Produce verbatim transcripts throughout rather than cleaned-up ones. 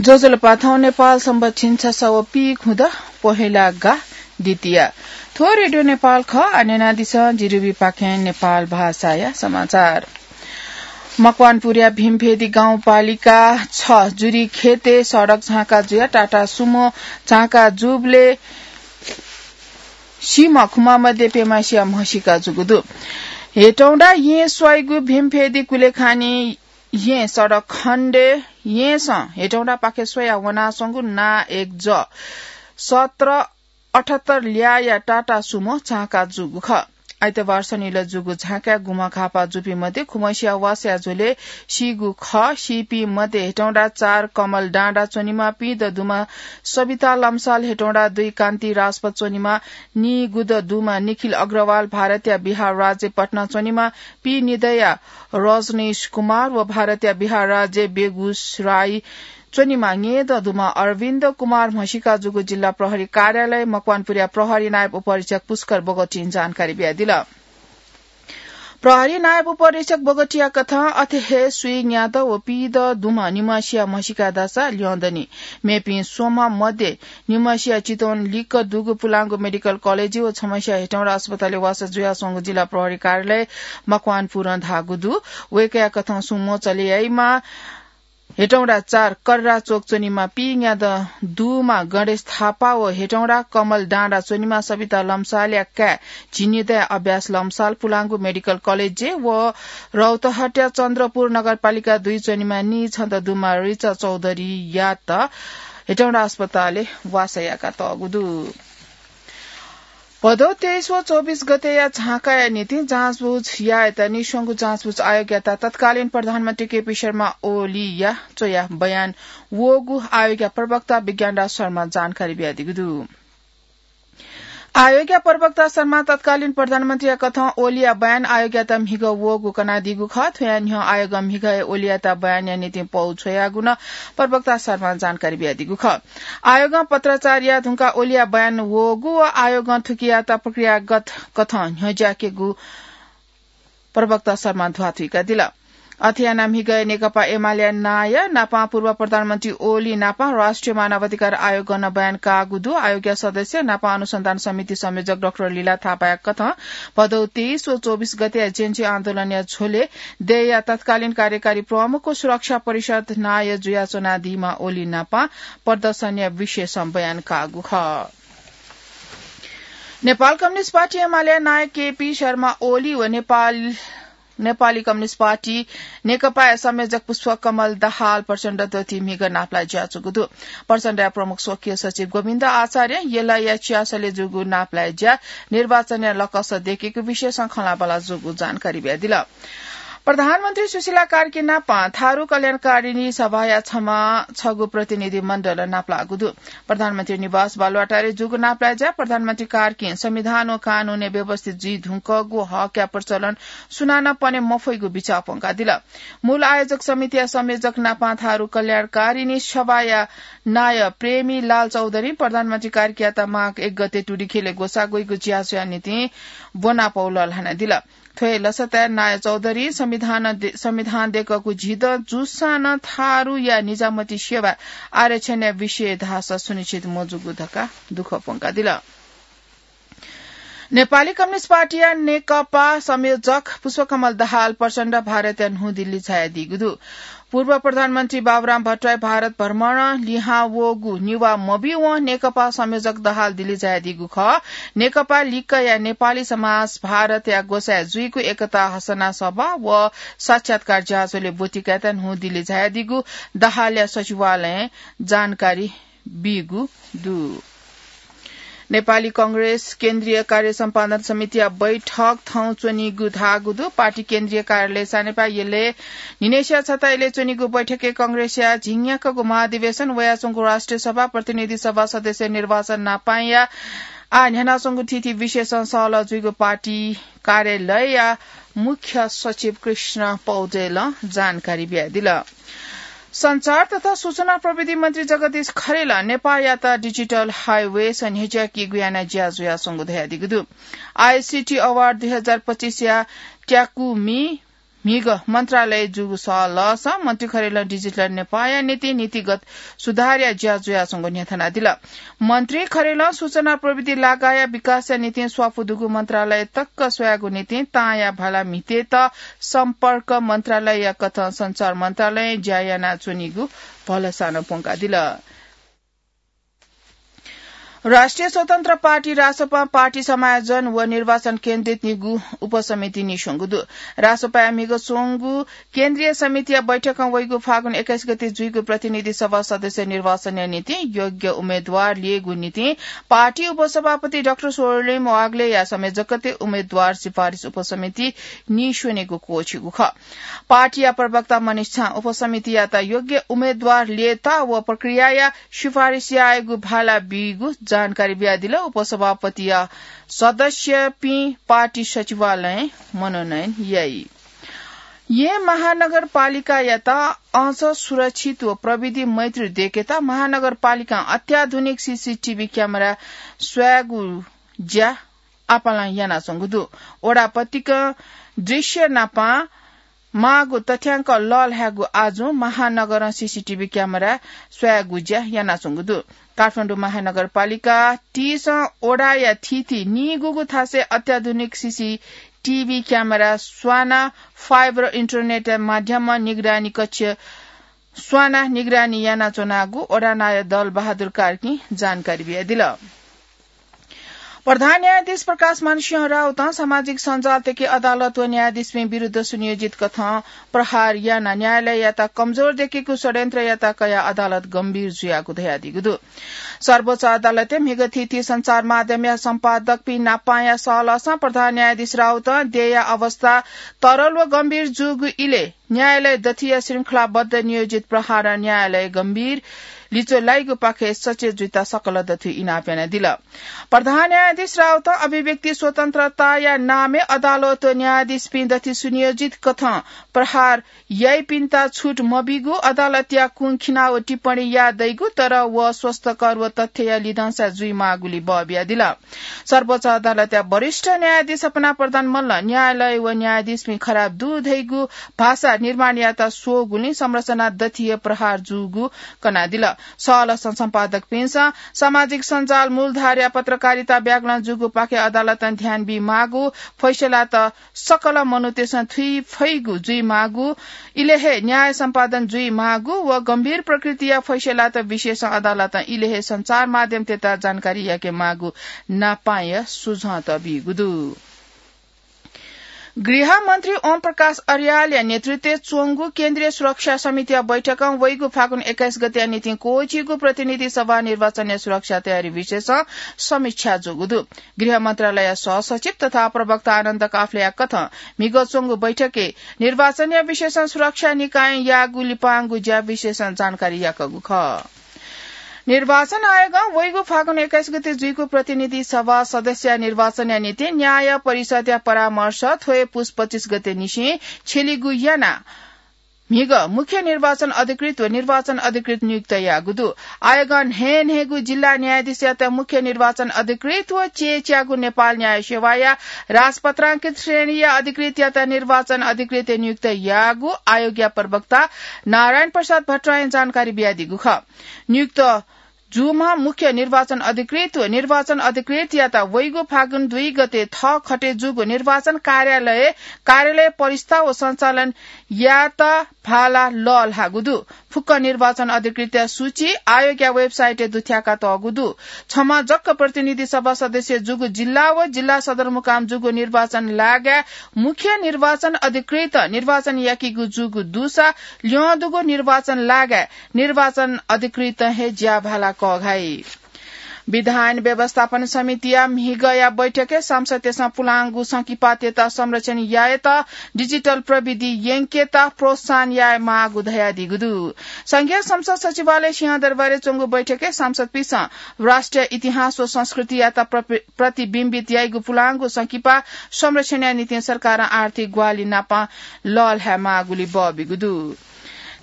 ज्वजलपा, थौं नेपाल संवत् झिंछसः व पीखुदँ पहेँला गा द्वितीया। थ्व रेडियो नेपाल खः। आः न्यनादिसँ जिरिबी पाखें नेपाल भाषाया समाचार। मकवानपुरया भीमफेदी गाउँपालिका छ जुरी खेते सडक झाँका जुया टाटा सुमो झाँका जूबले सीम्ह खुम्ह मध्ये प्यम्ह सिया म्हसीका जूगु दु। हेटौंडा येँ स्वाइगु भीमफेदी कुलेखानी येँ सडक खण्डे येँसं हेटौंडा पाखे स्वया वनाच्वंगु ना एक ज सत्र अठहत्तर ल्याःया टाटा सुमो झाँका जूगु खः। आइतबार सनिल जूगु झाँकाय् गुम्ह घाःपाः जूपिं मध्ये खुम्हसिया वासया झ्वलय् सीगु खः। सीपिं मध्ये हेटौंडा चार कमल डाँडा च्वनीम्ह पीदँ दुम्ह सबिता लम्साल, हेटौंडा दुई कान्ति राजपथ च्वनीम्ह नीगुदँ दुम्ह निखिल अग्रवाल, भारतया बिहार राज्य पटना च्वनीम्ह पीनिदँया रजनीश कुमार व भारतया बिहार राज्य बेगुसराई च्वनीम्ह न्येदँ दुम्ह अरविन्द कुमार म्हसीका जूगु जिल्ला प्रहरी कार्यालय मकवानपुरया प्रहरी नायब उपरीक्षक पुष्कर बोगटीं जानकारी बियादिल। प्रहरी नायब उपरीक्षक बोगटीया कथं अथे हे स्वीन्यादँ व पीदँ दुम्ह निम्हसिया म्हसीका धाःसा ल्यं दनि। मेपिं स्वम्ह मध्ये निम्हसिया चितवन लिक्क दुगु पुलांगु मेडिकल कलेजय् व छम्हसिया हेटौंडा अस्पतालय् वासः जुयाच्वंगु जिल्ला प्रहरी कार्यालय मकवानपुरं धाःगु दु। वय्कःया कथं सुमो चले याइम्ह हेटौंडा चार कर्रा चोक च्वनीम्ह पीन्यादँ दुम्ह गणेश थापा व हेटौंडा कमल डाँडा च्वनीम्ह सबिता लम्सालया काय् झिंनिदँया अभ्यास लम्साल पुलांगु मेडिकल कलेजय् व रौतहटया चन्द्रपुर नगरपालिका दुई च्वनीम्ह नीछदँ दुम्ह रिचा चौधरीयात हेटौंडा अस्पतालय् वासः याकातःगु दु। भदौ तेइस व चौबिस गतेया झाँकाया निंतिं जाँचबुझ यायेत निस्वंगु जाँचबुझ आयोगयात तत्कालीन प्रधानमन्त्री केपी शर्मा ओलीया च्वया बयान वःगु आयोगया प्रवक्ता विज्ञानराज शर्मां जानकारी बियादीगु दु। आयोगया प्रवक्ता शर्मां तत्कालीन प्रधानमन्त्रीया कथं ओलीया बयान आयोगयात म्हिगः वःगु कनादीगु खः। थ्वया न्ह्यः आयोगं म्हिगः हे ओलीयात बयानया निंतिं पौ छ्वयागु नं प्रवक्ता शर्मां जानकारी बियादीगु खः। आयोगं पत्राचार याये धुंकाः ओलीया बयान वःगु व आयोगं थुकियात प्रक्रियागत कथं न्ह्यज्याकेगु प्रवक्ता शर्मां ध्वाथुइकादिल। अथे यानाः म्हिगः हे नेकपा एमालेया नायः नापं पूर्व प्रधानमन्त्री ओली नापं राष्ट्रिय मानवाधिकार आयोगं नं बयान काःगु दु। आयोगया सदस्य नापं अनुसन्धान समिति संयोजक डाक्टर लीला थापाया कथं भदौ तेइस व चौबिस गतेया जेन्जी आन्दोलनया झ्वलय् देय्‌या तत्कालीन कार्यकारी प्रमुख व सुरक्षा परिषद नायः जुयाच्वनादीम्ह ओली नापं प्रदर्शनया विषयसं बयान काःगु खः। नेपाल कम्युनिस्ट पार्टी एमालेया नायः केपी शर्मा ओली व नेपाल, नेपाली कम्युनिस्ट पार्टी नेकपाया संयोजक पुष्पकमल दाहाल प्रचण्ड दथुइ म्हिगः नापलाये ज्याःगु दु। प्रचण्डया प्रमुख स्वकीय सचिव गोविन्द आचार्यं यलया चियासलय् जूगु नापलाये ज्या निर्वाचनया लकस दयेकेगु विषयसं खँल्हाबल्हा जूगु जानकारी बियादिल। प्रधानमन्त्री सुशीला कार्की नापं थारु कल्याणकारिणी सभाया छमा छगू प्रतिनिधि मण्डल नापलाःगु दु। प्रधानमन्त्री निवास बालुवाटारय् जूगु नापलाये ज्या प्रधानमन्त्री कार्कीं संविधान व कानूनय् व्यवस्थित जुइ धुंकूगु हकया प्रचलन सुनानं पने मफइगु बिचाः प्वंकादिल। मूल आयोजक समितिया संयोजक नापं थारु कल्याणकारिणी सभाया नायः प्रेमी लाल चौधरीं प्रधानमन्त्री कार्कीयात माघ एक गते टुडिखेलय् ग्वसाः ग्वइगु ज्याझ्वःया निंतिं ब्वनापौ लःल्हानादिल। थ्व हे लसताय् नायः चौधरीं संविधान दे-, संविधान दय्‌कूगु झिदँ जूसां नं थारुया निजामती सेवा आरक्षणया विषय धाःसा सुनिश्चित मजूगु धकाः दुःख प्वंकादिल। नेपाली कम्युनिस्ट पार्टीया नेकपा संयोजक पुष्पकमल दाहाल प्रचण्ड भारतया न्हू दिल्ली झायादीगु दु। पूर्व प्रधानमन्त्री बाबुराम भट्टराई भारत भ्रमणं लिहां वःगु निभाः मब्यूवं नेकपा संयोजक दाहाल दिल्ली झायादीगु खः। नेकपा लिक्कया नेपाली समाज भारतया ग्वसाय् जुइगु एकता हसना सभा व साक्षात्कार ज्याझ्वलय् ब्वति कायेत न्हू दिल्ली झायादीगु दाहालया सचिवालयं जानकारी बीगु दु। नेपाली कंग्रेस केन्द्रीय कार्य सम्पादन समितिया बैठक थौं च्वनीगु धाःगु दु। पार्टी केन्द्रीय कार्यालय सानेपाः यलय् न्हिनय्सिया छता यलय् च्वनीगु बैठकय् कंग्रेसया झिंन्याक्कगु महाधिवेशन, वयाच्वंगु राष्ट्रिय सभा, प्रतिनिधि सभा सदस्य निर्वाचन नापंया आः न्ह्यानाच्वंगु थीथी विषयसं सहलह जुइगु पार्टी कार्यालयया मुख्य सचिव कृष्ण पौडेलं जानकारी बियादिल। सञ्चार तथा सूचना प्रविधि मन्त्री जगदीश खरेलं नेपाःयात digital highway सः न्ह्यज्याकीगु यानाः ज्या जुयाच्वंगु धयादीगु दु। ICT Award दुई हजार पच्चिसया ट्याकुमी म्हिगः मन्त्रालय जूगु सः लःसां मन्त्री खरेलं डिजिटल नेपाःया निंतिं नीतिगत सुधारया ज्या जुयाच्वंगु न्ह्यथनादिल। मन्त्री खरेलं सूचना प्रविधि लागाया विकासया निंतिं स्वापू दुगु मन्त्रालय तक स्वयागु निंतिं तांया भाला म्हितेत सम्पर्क मन्त्रालयया कथं सञ्चार मन्त्रालयं ज्या यानाच्वनीगु भलसा नं प्वंकादिल। राष्ट्रिय स्वतन्त्र पार्टी रासोपां पार्टी समायोजन व निर्वाचन केन्द्रित निगू उपसमिति नीस्वंगु दु। रासोपाया म्हिगः च्वंगु केन्द्रीय समितिया बैठकं वइगु फागुन एक्काइस गते जुइगु प्रतिनिधि सभा सदस्य निर्वाचनया निंतिं योग्य उम्मेदवार ल्ययेगु निंतिं पार्टी उपसभापति डाक्टर स्वयम्भू वाग्लेया संयोजकत्वय् उम्मेदवार सिफारिस उपसमिति नीस्वनेगु क्वःछिगु खः। पार्टीया प्रवक्ता मनिष झां उपसमितियात योग्य उम्मेदवार ल्ययेत व प्रक्रियाया सिफारिस यायेगु भाला बीगु जानकारी बियादिल। उपसभापतिया सदस्यपिं पार्टी सचिवालयं मनोनयन याइ। येँ महानगरपालिकायात अझ सुरक्षित व प्रविधि मैत्री दयेकेत महानगरपालिकां अत्याधुनिक सीसीटीभी क्यामेरा स्वयागु ज्या आपालं यानाच्वंगु दु। वडापतिकं दृश्य नापं माःगु तथ्यांक लःल्हायेगु आजुं महानगरं सीसीटीभी क्यामेरा स्वयागु ज्या यानाच्वंगु दु। काठमाडौं महानगरपालिका तीसं वडाया थीथी नीगूगु थासय् अत्याधुनिक CCTV camera sauna fiber internet माध्यमं निगरानी कक्ष स्वाना निगरानी यानाच्वनागु वडा नायः दल बहादुर कार्कीं जानकारी बियादिल। प्रधान न्यायाधीश प्रकाशमान सिंह राउतं सामाजिक सञ्जालतिके अदालत व न्यायाधीशपिं विरुद्ध सुनियोजित कथं प्रहार यानाः न्यायालययात कमजोर दयेकेगु षड्यन्त्र यात कयाः अदालत गम्भीर जुयागु धयादीगु दु। सर्वोच्च अदालतय् म्हिगः थीथी सञ्चार माध्यमया सम्पादकपिं नापांया सः लःसां प्रधान न्यायाधीश राउतं देय्‌या अवस्था तरल व गम्भीर जूगु इलय् न्यायालय दथिया श्रृंखलाबद्ध नियोजित प्रहारं न्यायालय गम्भीर लिच्वः लाइगुपाखे सचेत जुइत सकल दथुइ इनाप यानादिल। प्रधान न्यायाधीश राउतं अभिव्यक्ति स्वतन्त्रताया नामय् अदालत व न्यायाधीशपिं दथुइ सुनियोजित कथं प्रहार याइपिन्त छुट मबीगु, अदालतया कुंखिना व टिप्पणी याः दइगु, तर व स्वस्थकर व तथ्यया लिधंसा जुइमाःगुली बः बियादिल। सर्वोच्च अदालतया वरिष्ठ न्यायाधीश सपना प्रधान मल्लं न्यायालय व न्यायाधीशपिं खराब दु धइगु भाषा निर्माण यात स्वःगुलिं संरचना दथिइ प्रहार जूगु कनादिल। सः लःसां सम्पादकपिन्सं सामाजिक सञ्जाल मूलधारया पत्रकारिता व्याकरण जूगुपाखे अदालतं ध्यान बीमाःगु, फैसलात सकल मनूतय्‌सं थुइ फइगु जुइमाःगु, इलय् हे न्याय सम्पादन जुइमाःगु व गम्भीर प्रकृतिया फैसलात विशेषं अदालतं इलय् हे सञ्चार माध्यमतय्‌त जानकारी याकेमाःगु नापांया सुझावत बीगु दु। गृह मन्त्री ओम प्रकाश अर्यालया नेतृत्वय् च्वंगु केन्द्रीय सुरक्षा समितिया बैठकं वइगु फागुन एक्काइस गतेया निंतिं क्वःछिइगु प्रतिनिधि सभा निर्वाचनया सुरक्षा तयारी विषयसं समीक्षा जूगु दु। गृह मन्त्रालय सहसचिव तथा प्रवक्ता आनन्द काफ्लेया कथं म्हिगः च्वंगु बैठकय् निर्वाचनया विषयसं सुरक्षा निकायं याःगु लिपांगु ज्या विषयसं जानकारी याकूगु खः। निर्वाचन आयोगं वइगु फागुन एक्काइस गते जुइगु प्रतिनिधि सभा सदस्यया निर्वाचनया निंतिं न्याय परिषदया परामर्श थ्व हे पुस पच्चिस गते निसें छ्यलीगु यानाः म्हिगः मुख्य निर्वाचन अधिकृत व निर्वाचन अधिकृत नियुक्त याःगु दु। आयोगं न्हय्‌न्हय्‌गू जिल्ला न्यायाधीशयात मुख्य निर्वाचन अधिकृत व च्यय्‌च्यागू नेपाल न्याय सेवाया राजपत्रांकित श्रेणीया अधिकृतयात निर्वाचन अधिकृत नियुक्त याःगु आयोगया प्रवक्ता नारायण प्रसाद भट्टराईं जानकारी बियादीगु खः। नियुक्त जूम्ह मुख्य निर्वाचन अधिकृत व निर्वाचन अधिकृतयात वइगु फागुन दुई गते थःखटे जूगु निर्वाचन कार्यालय, कार्यालय परिस्था व सञ्चालन यात भाला लःल्हाःगु दु। फुक्क निर्वाचन अधिकृतया सूची आयोगया website-य् दुथ्याका तःगु दु। छम्ह जक्क प्रतिनिधि सभा सदस्य जूगु जिल्ला व जिल्ला सदरमुकाम जूगु निर्वाचन लागाय् मुख्य निर्वाचन अधिकृत निर्वाचन याकीगु जूगु दुसा ल्यं दुगु निर्वाचन लागाय् निर्वाचन अधिकृतं हे ज्या भाला कःघाइ। विधान व्यवस्थापन समितिया म्हिगःया बैठकय् सांसदतय्‌सं पुलांगु संकिपातय्‌त संरक्षण यायेत digital प्रविधि यंकेत प्रोत्साहन यायेमाःगु धयादीगु दु। संघीय संसद सचिवालय सिंहदरबारय् च्वंगु बैठकय् सांसदपिन्सं राष्ट्रिय इतिहास व संस्कृतियात प्रपि-, प्रतिबिम्बित याइगु पुलांगु संकिपा संरक्षणया निंतिं सरकारं आर्थिक ग्वाहालि नापं लःल्हायेमाःगुली बः बीगु दु।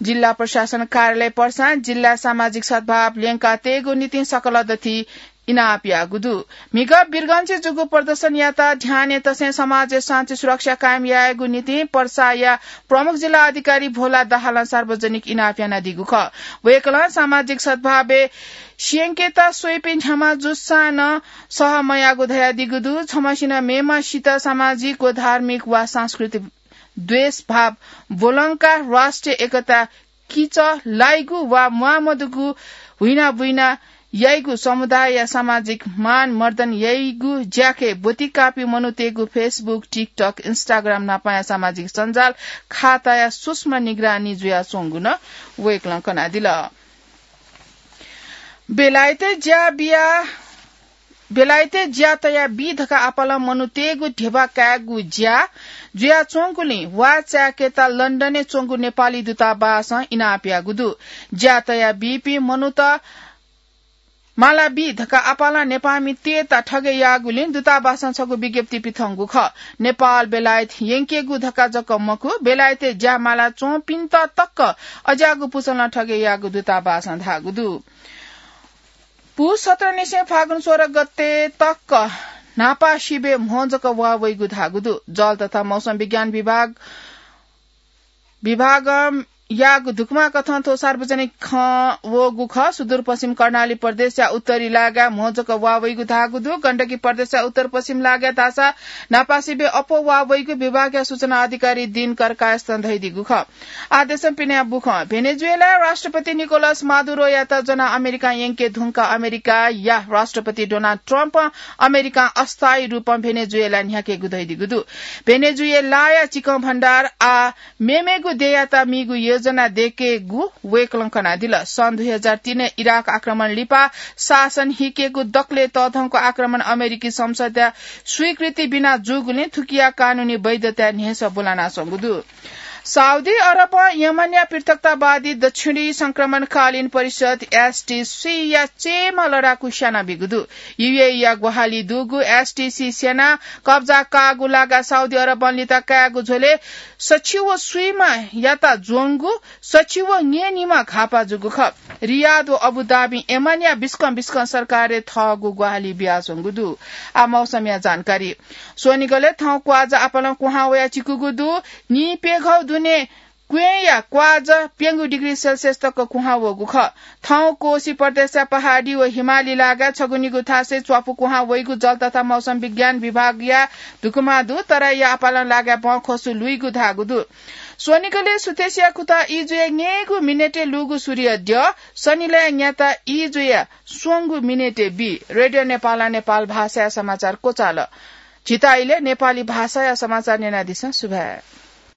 जिल्ला प्रशासन कार्यालय पर्सां जिल्ला सामाजिक सद्भाव ल्यंका तयेगु निंतिं सकल दथुइ इनाप याःगु दु। म्हिगः वीरगंजय् जूगु प्रदर्शनयात ध्यानय् तसें समाजय् शान्ति सुरक्षा कायम यायेगु निंतिं पर्साया प्रमुख जिल्ला अधिकारी भोला दाहालं सार्वजनिक इनाप यानादीगु खः। वय्कलं सामाजिक सद्भावय् स्यंकेत स्वइपिं न्ह्याम्ह जूसां नं सह मयाःगु धयादीगु दु। छम्हसिनं मेम्हसित सामाजिक व धार्मिक वा सांस्कृतिक द्वेष भाव ब्वलंकाः राष्ट्रिय एकता किचः लाइगु वा म्वाःमदुगु हुइनाबुइना याइगु, समुदायया सामाजिक मान मर्दन याइगु ज्याखँय् ब्वति काःपिं मनूतय्गु Facebook, TikTok, Instagram नापंया सामाजिक सञ्जाल खाताया सूक्ष्म निगरानी जुयाच्वंगु नं वय्कलं कनादिल। बेलायतय् ज्या बिया, बेलायतय् ज्या तया बी धकाः आपालं मनूतय्गु ध्यबा कायेगु ज्या जुयाच्वंगुलिं वा चाय्केत लन्डनय् च्वंगु नेपाली दूतावासं इनाप याःगु दु। ज्या तया बीपिं मनूत माला बी धकाः आपालं नेपाःमितय्त ठगय् याःगुलिं दूतावासं छगू विज्ञप्ति पिथंगु खः। नेपाल बेलायत यंकेगु धकाः जक मखु, बेलायतय् ज्या माला च्वंपिन्त तक अज्याःगु पुचलं ठगय् याःगु दूतावासं धाःगु दु। पुस सत्रनिसें फागुन सोह्र गते तक न्हापा सिबय् म्हो जक वाः वइगु धाःगु दु। जल तथा मौसम विज्ञान विभाग, विभागं याःगु धुकुमा कथं थ्व सार्वजनिक खँ वःगु खः। सुदूरपश्चिम कर्णाली प्रदेशया उत्तरी लागाय् म्हो जक वाः वइगु धाःगु दु। गण्डकी प्रदेशया उत्तर पश्चिम लागाय् धाःसा न्हापा सिबय् अप्वः वाः वइगु विभागया सूचना अधिकारी दिनकर कायस्थं धयादीगु खः। आः देशं पिने बुखँ। भेनेजुएलाया राष्ट्रपति निकोलस मादुरोयात ज्वनाः अमेरिकां यंके धुंकाः अमेरिकाया राष्ट्रपति डोनाल्ड ट्रम्पं अमेरिकां अस्थायी रूपं भेनेजुएला न्ह्याकेगु धयादीगु दु। भेनेजुएलाया चिकं भण्डार आः मेमेगु देय्‌यात मीगु योजना दयेकेगु वय्‌कलं कनादिल। सन् दुई हजार तीन इराक आक्रमण लिपा शासन हिकेगु दकलय् तःधंगु आक्रमण अमेरिकी संसदया स्वीकृति बिना जूगुलिं थुकिया कानूनी वैधताय् न्ह्यसः ब्वलानाच्वंगु दु। साउदी अरबं यमनया पृथकतावादी दक्षिणी संक्रमणकालीन परिषद, एसटीसीया चयेम्ह लडाकु स्यानाबीगु दु। यूएईया ग्वाहालि दुगु एसटीसी सेनां कब्जा काःगु लागाय् साउदी अरबं लिता कायेगु झ्वलय् सछि व स्वीम्हयात ज्वंगु सछि व न्येनिम्ह घाःपाः जूगु खः। रियाद व अबुधाबीं यमनया बिस्कं बिस्कं सरकारय् थःगु ग्वाहालि बियाच्वंगु दु। आः मौसमया जानकारी। स्वनिगलय् थौं क्वाःजा आपालं कुहां वयाः चिकूगु दु। नीप्यघौ दुने क्वँय्‌या क्वाःजा प्यंगू डिग्री सेल्सियस तक कुहां वःगु खः। थौं कोशी प्रदेशया पहाडी व हिमाली लागाय् छगू निगू थासय् च्वापु कुहां वइगु जल तथा मौसम विज्ञान विभागया धुकुमा दु। तराईया आपालं लागाय् बँ ख्वसु लुइगु धाःगु दु। स्वनिगलय् सुथसिया खुताः ई जुया न्यय्‌गू मिनेटय् लूगु सूर्य द्यः सनिलया न्याताः ई जुया स्वंगू मिनेटय् बी। रेडियो नेपालं नेपाल भाषाया समाचार क्वचाल। झीत इलय् नेपाली भाषाया समाचार न्यनादिसँ। सुभाय्।